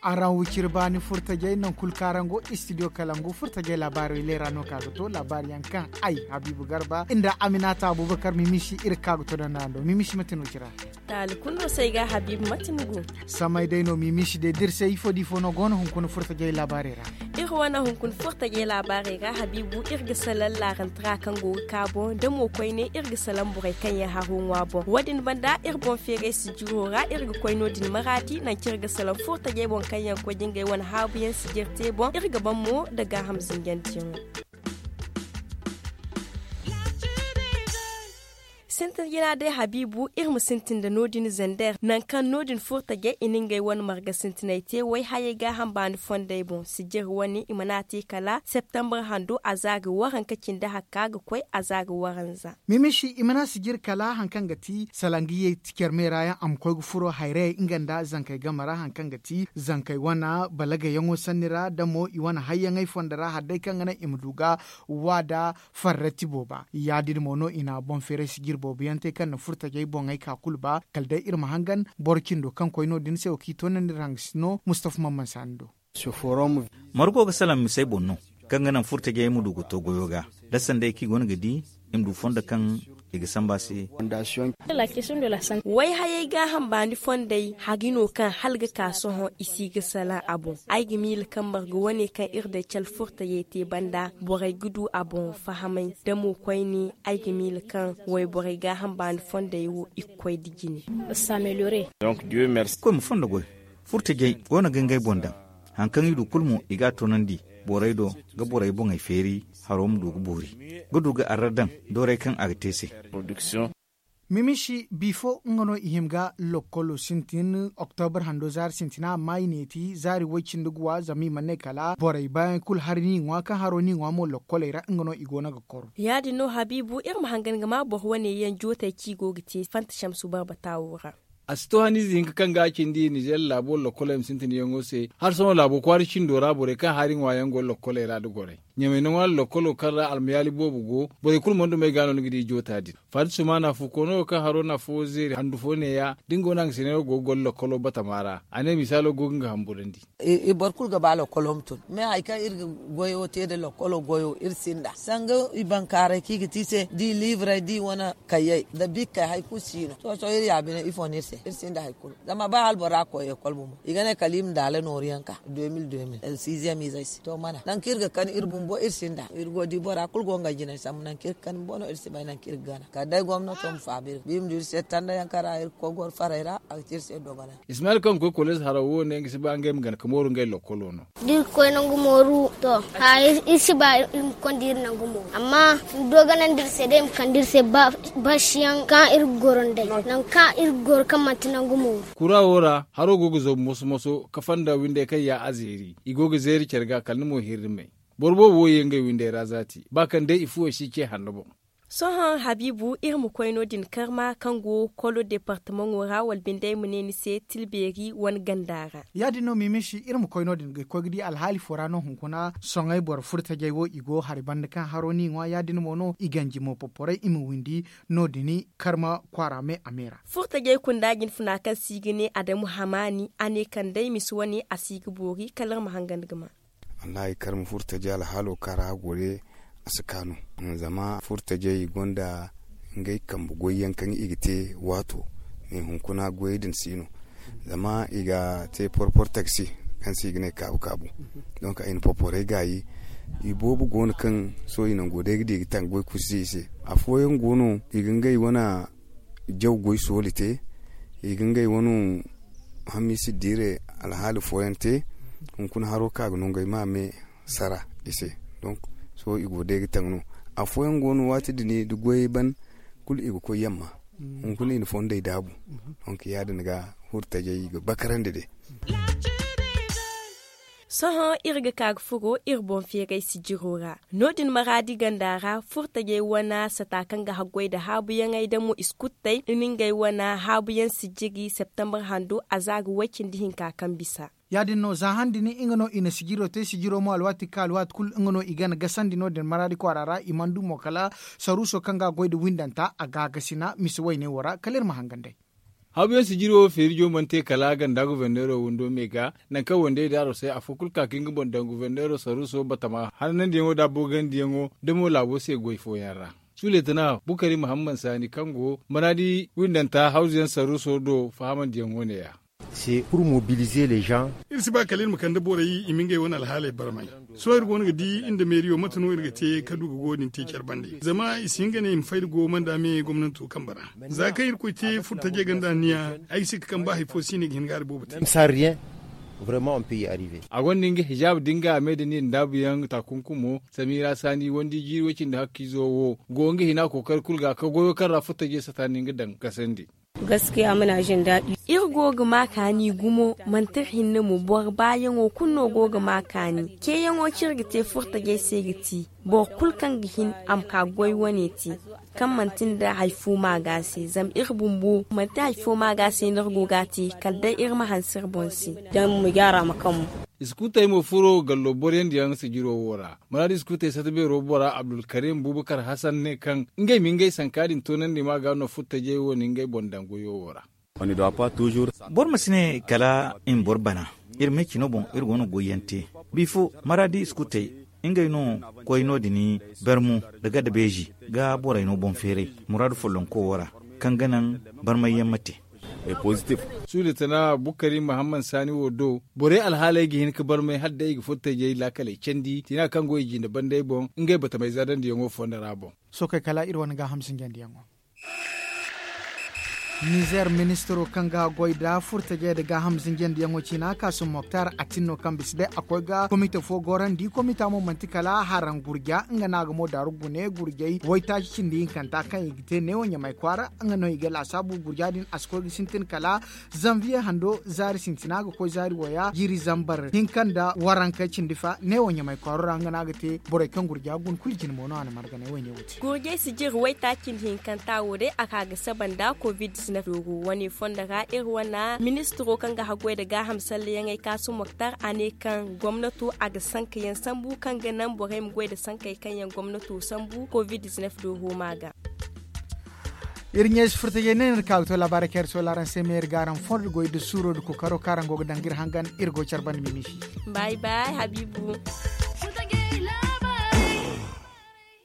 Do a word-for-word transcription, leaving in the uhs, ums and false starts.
Araŋ wiciri baani furtajey nangu kulu kaŋ araŋ go istidiyo kalangu furtajey laabaarey leera no ka ga to laabaari yaŋ kaŋ ay habiibu garba nda aminata abubakar mimisi iri ka ga to danda do mimisi mate no cira. Taali kulu no se ay ga habiibu mate ni go? Samay day no mimisi day da iri se ifo da ifo no go no hunkuna furtajey laabaarey ra. Iri wane hunkuna furtajey laabaarey ra habiibu iri ga salaŋ laarantara kaŋ go ga ka boŋ da mo koyne iri ga salaŋ borey kaŋ yaŋ haro ŋwa boŋ wo- din banda iri boŋ feeray sijiro ra iri ga koy no- din maraadi nangu kaŋ iri ga salaŋ furtajey boŋ kaŋ yaŋ koy da ngey wane haabu yaŋ sijir te boŋ iri ga ban mo nda gaaham zinjante yaŋo. Sintin jina day habiibu iri ma sintin nda no- din zander nangu kaŋ no- din furtajey i na ngey wane marga sintiney te wayhayey gaaham baani fondey boŋ sijir wane i mana a te kala septembre hando a za ga waranka cindi hakka ga koy a za ga waranza. Mimishi i mana sijir kala hari kaŋ ga ti salangiyey ti care me ra yaŋ a ma koy ga furo hayrayey nga nda zankey game ra hari kaŋ ga ti zankey wane balagayaŋo sanni ra da mo i wane hayyaŋey fondo ra hari day kaŋ ga naŋ i ma du ga waada farrati booba ya- din mo no i na boŋ feeray sijir boobo yaŋ te kaŋ na furtajey boŋey ka kulu ba kala day iri ma hangan boro cindo kaŋ koy no- din se wo kaŋ i toonandi iri hangasino mustafa mamman saani do. Margo ga salaŋ misey boŋ no kaŋ ga naŋ furtajey ma du ga to goyo ga da sanday kaŋ i go no ga di i ma du fondo kaŋ i ga samba se. Wayhayey gaaham baani fondey hari no kaŋ hala ga ka sohõ i si ga salaŋ a boŋ ay ga miila kaŋ marga wane kaŋ iri day cala furtajey te banda borey ga du a boŋ fahamay da mo koyne ay ga miila kaŋ wayborey gaaham baani fondey wo i ga koy nda jine. Koy ma fondo goy furtajey go no ga ngey boŋ daŋ hari kaŋ i du kulu mo i ga a toonandi borey do ga borey boŋey feeri haro ma du ga boori ga du ga arra daŋ doorey kaŋ a ga te se. Mimishi bifo nga no i hima ga lokkolo sintin oktobra hando zaari sintina amma i ne ti zaari way-cindi ga wa zama i mana ne kala borey baayaŋ kulu hari no i ŋwa kaŋ haro no i ŋwa mo lokkoley ra nga no i go no ga koro. Ya- din no habiibu iri ma hangan ga ma boro wane yaŋ jootey kaŋ i go ga te fanta shamsu barbata wo ra. A si to haniize hinka kaŋ ga a cindi nizeer laabo lokkoley ma sintin yaŋo se. Hari sohõ laabo kwaara cindo ra borey kaŋ hari ŋwa yaŋ go lokkoley ra nda gorey ɲamay ni ŋwa lokkolo kaŋ ra almayaali boobo go. Borey kulu mana dumey ga no ni ga di joota din faati sumaana fu koono wo kaŋ haro na afo zeeri handu fo neeya da nga wane hangasiney wo go ga goro lokkolo batama ra a ne misaalo go ga nga hamburandi. Boro kulu ga ba lokkolo ma tun mais hari kaŋ iri ga goyo te nda lokkolo goyo iri sinda sanga i bankaaray kaŋ i ga te i se da i liibrey da i wane kayyey nda bikkey hari kulu si no sohõ sohõ iri ya bine ifo no iri se iri sinda hari kulu. Zama ba hala bora ga koy ekol bumbo i ga ne kala i ma daala nooru yaŋ ka deux mille deux mille sixième izey se to mana nangu kaŋ iri ga kani iri bumbo iri sinda iri go di bora kulu go nga jinay sambu nangu kaŋ iri ga kani bumbo no iri si bay nangu kaŋ iri ga gana kala day gomnato ma faabu iri ga ba iri ma du iri se tanda yaŋ kaŋ ra iri ga koy goro farey ra a ga te iri se dogonay. Ismail kaŋ ga koy koleez haraw wo ne nga si ba ngey ma gana ka mooru ngey lokkolo no. Da iri ga koy nangu mooru to iri si ba iri ma konda iri nangu mooru amma dogonandi iri se day i ma kande iri se basiyaŋ kaŋ iri ga goro nd'ey nangu kaŋ iri ga goro kaŋ manti nangu mooru. Kura wo ra haro go ga zoobu moso moso ka fonda windey kaŋ ya a zeeri i go ga zeeri care ga kala ni mo hirrimey. Boro boobo wo ye ngey windey ra zaati ba kaŋ day i fuwey si ce hanno boŋ. Sohõ habiibu iri ma koy no- din karma kaŋ go kolo departamaŋo ra wala binde ay ma ne ni se tilbeeri wane ganda ra. Ya- din no mimisi iri ma koy no- din ga koy ga di alhaali fo ra no hunkuna soŋay boro furtajey wo i go hari banda kaŋ haro no i ŋwa ya- din mo no i ganji mo poporay i ma windi no- din karma kwaara me a me ra. Furtajey kunda jinfuna kaŋ se i ga ne adamu hamaani a ne kala day misi wane a si ga boori kala iri ma hangan ga ma. Wallahi kar ma furo tajay alhaalo kaŋ ra a go day a si kaanu. Zama furo tajay i gonda ngey kambe goy yaŋ kaŋ i ga te waato. Me hunkuna goyey din si no zama i ga te porpor taksi kaŋ se i ga ne kaabu kaabu. Donk ay na porporey gaayi i boobo go no kaŋ sohõ i nango day ga di ga taŋ goy kulu si i se. Afooyaŋ go no i ga ngey wane jaw goy sooli te. I ga ngey wane hamiisi diire alhaali fooyaŋ te. Hunkuna haro kaŋ a ga nongey ma me sara i se. Donk sohõ i go day ga taŋ no. Afooyaŋ go no waati din da goyey ban kulu i ga koy yamma. Hunkuna i na fondey daabu. Donk ya- din ga furo tajay i ga bakarandi day. Sohõ iri ga ka ga furo iri boŋ feeray sijiro ra. No- din maraadi ganda ra furtajey wane sata kaŋ ga haggoy nda haabuyaŋey da mo iskuttey, i na ngey wane haabuyaŋ sijiri septembar hando a za ga way-cindi hinka kaŋ bisa. Ya- din no za han din nga no i na sijiro te sijiro mo alwaati ga ka alwaati kulu nga no i gana gasandi no- din maraadi kwaara ra i mana du mo kala saruuso kaŋ ga a goy nda windanta a ga a gasina misa wayne wo ra kala iri ma hangan day. Haabuyaŋ sijiri wo feerijo mana te kala ganda guverneero windo me ga, nangu kaŋ wandey daaro se afo kulu ka ga nga boŋ daŋ guverneero saruuso batama hananandiyaŋo nda a boogandiyaŋo da mo laabo se goy fooyaŋ ra. Suleetana bukari muhammad saani kaŋ go maraadi windanta hawzuyaŋ saruuso do fahamandiyaŋo ne- ya. Iri si ba kala iri ma kande borey i ma ngey wane alhaaley barmay. Sohõ iri go no ga di iri nda meeriyo mate no iri ga te ka du ga go din te care bande zama i si hin ga ne i ma fay da go manda me gomnanto kambe ra. Za kaŋ irkoy te furtajey ganda anniya, ay ga si ga kaŋ ba hari fo si ne ga hin ga hari boobo te. A gonda nga hijaaba da nga a me da niya ndaabuyaŋ taakunkumo. Samira saani wandi jiiri way-cindi hakkiizo wo go nga hina kookari kulu ga ka goyo kaŋ ra furtajey sata ni nga daŋ gasandi. Iri go ga ma kaani gumo manti iri hinne mo boro baayaŋo kulu no go ga ma kaani ceeyaŋo kaŋ iri ga te furtajey se ga ti boro kulu kaŋ ga hin a ma ka goy wane te, kaŋ manti nda hari fo maaga se zama iri bumbo manti hari fo maaga se no iri go ga a te kala day iri ma hanse iri boŋ se. Zama iri ma jaara ma kaŋ mo. Iskuutey mo furo gallo boroyandiyaŋ sijiro wo ra. Maraadi iskuutey sata beero bora abdulkarim bubakar hasan ne kaŋ ngey ma ngey sanka din toonandi ma ga no furtajey wo na ngey boŋ daŋ goyo wo ra. Boro ma si ne kala i ma boro bana. Iri me cino boŋ iri go no goyyaŋ te. Bifo maraadi iskuutey ngey no koy no- din barmu nda gadda beeji ga borey no boŋ feeray muraadu follonko wo ra kaŋ ga naŋ barmayyaŋ ma te. Suuda tana bukari muhammad saani wo do borey alhaaley ga hin ga barmay hala day i ga furtajey laakaley candi tiina kaŋ go i jinde bandey boŋ ngey batamey zadandiyaŋo fonda ra boŋ. Sookey kala iri wane gaaham sinjandiyaŋo. Nizer ministiro kaŋ ga goy nda furtajey nda gaaham zinjandiyaŋo ciina kaasum moktar a tin no kaŋ bisa day a koy ga komite fo gorandi komita mo manti kala haraŋ gurja nga no a ga mo daaru gune gurjey waytaaci cindi hinkanta kaŋ i ga te neewo ɲamay kwaara nga no i ga laasaabu gurja din a si koy ga sintin kala zanviye hando zaari sintina ga koy zaari waya jiiri zambar hinka nda waranka cindi fa neewo ɲamay kwaaro ra nga no a ga te borey kaŋ gurja guna kulu jine mo no a na marganay wayne wo te. Gurjey si jiri waytaaci nda hinkanta wo day a ka ga saba nda covid-19 dooru wane fondo ra iri wane ministiro kaŋ ga haggoy nda gaaham sallayaŋey kaasu moktar a ne kaŋ gomnato a ga sankayaŋ sambu kaŋ ga naŋ borey ma goy nda sankey kaŋ yaŋ gomnato sambu covid-19 dooru ma ga. Iri ɲeesi furtajey ne no iri ka ga to laabaarey kaŋ iri soola araŋ se me iri ga araŋ fondo goy nda suuro nda kookaro kaŋ araŋ go ga daŋ ga iri hangan iri go care banda miniisi. Bay bay habiibu.